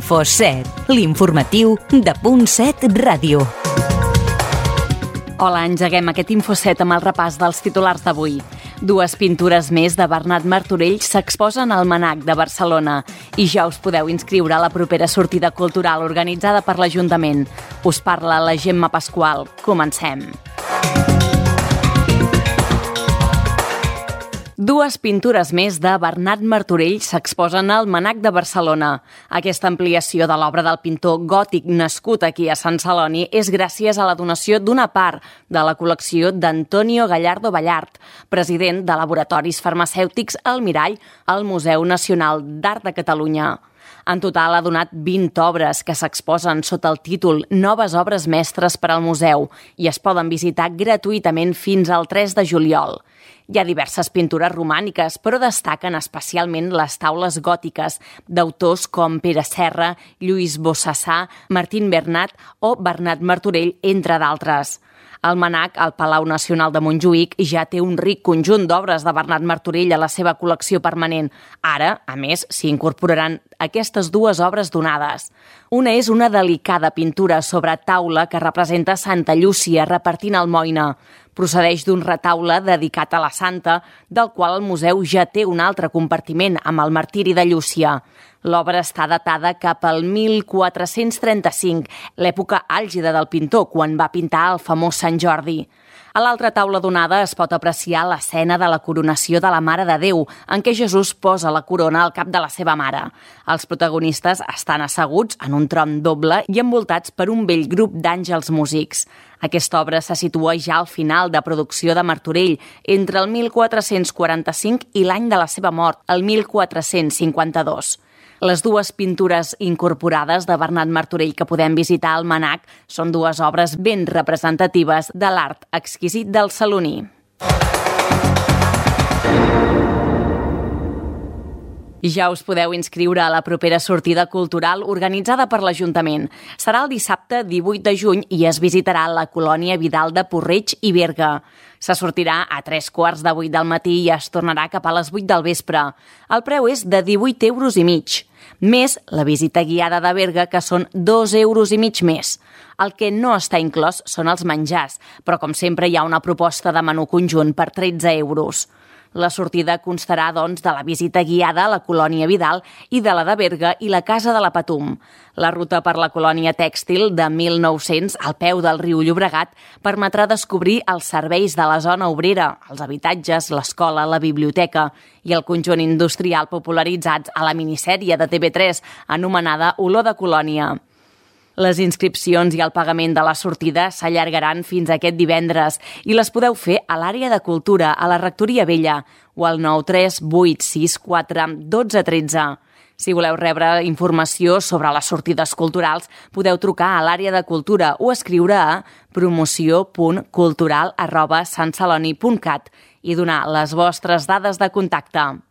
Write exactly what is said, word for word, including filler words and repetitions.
InfoSet, l'informatiu de Punt set Ràdio. Hola, engeguem aquest InfoSet amb el repàs dels titulars d'avui. Dues pintures més de Bernat Martorell s'exposen al Mnac de Barcelona i ja us podeu inscriure a la propera sortida cultural organitzada per l'Ajuntament. Us parla la Gemma Pasqual. Comencem. Dues pintures més de Bernat Martorell s'exposen al Mnac de Barcelona. Aquesta ampliació de l'obra del pintor gòtic nascut aquí a Sant Celoni és gràcies a la donació d'una part de la col·lecció d'Antonio Gallardo Ballart, president de Laboratoris Farmacèutics Almirall al Museu Nacional d'Art de Catalunya. En total ha donat vint obres que s'exposen sota el títol Noves obres mestres per al museu i es poden visitar gratuïtament fins al tres de juliol. Hi ha diverses pintures romàniques, però destaquen especialment les taules gòtiques d'autors com Pere Serra, Lluís Bossassà, Martín Bernat o Bernat Martorell, entre d'altres. El Mnac, al Palau Nacional de Montjuïc, ja té un ric conjunt d'obres de Bernat Martorell a la seva col·lecció permanent. Ara, a més, s'hi incorporaran aquestes dues obres donades. Una és una delicada pintura sobre taula que representa Santa Llúcia repartint almoina. Procedeix d'un retaule dedicat a la santa, del qual el museu ja té un altre compartiment amb el martiri de Llúcia. L'obra està datada cap al mil quatre-cents trenta-cinc, l'època àlgida del pintor, quan va pintar el famós Sant Jordi. A l'altra taula donada es pot apreciar l'escena de la coronació de la Mare de Déu, en què Jesús posa la corona al cap de la seva mare. Els protagonistes estan asseguts en un tron doble i envoltats per un bell grup d'àngels músics. Aquesta obra se situa ja al final de producció de Martorell, entre el mil quatre-cents quaranta-cinc i l'any de la seva mort, el mil quatre-cents cinquanta-dos. Les dues pintures incorporades de Bernat Martorell que podem visitar al Mnac són dues obres ben representatives de l'art exquisit del saloní. Ja us podeu inscriure a la propera sortida cultural organitzada per l'Ajuntament. Serà el dissabte divuit de juny i es visitarà la colònia Vidal de Porreig i Berga. Se sortirà a tres quarts de vuit del matí i es tornarà cap a les vuit del vespre. El preu és de divuit euros i mig. Més la visita guiada de Berga, que són dos euros i mig més. El que no està inclòs són els menjars, però com sempre hi ha una proposta de menú conjunt per tretze euros. La sortida constarà, doncs, de la visita guiada a la colònia Vidal i de la de Berga i la Casa de la Patum. La ruta per la colònia tèxtil de mil nou-cents al peu del riu Llobregat permetrà descobrir els serveis de la zona obrera, els habitatges, l'escola, la biblioteca i el conjunt industrial popularitzats a la minissèrie de T V tres anomenada Olor de Colònia. Les inscripcions i el pagament de la sortida s'allargaran fins aquest divendres i les podeu fer a l'àrea de cultura a la Rectoria Vella o al nou tres vuit sis quatre un dos un tres. Si voleu rebre informació sobre les sortides culturals, podeu trucar a l'àrea de cultura o escriure a promoció punt cultural arroba santceloni punt cat i donar les vostres dades de contacte.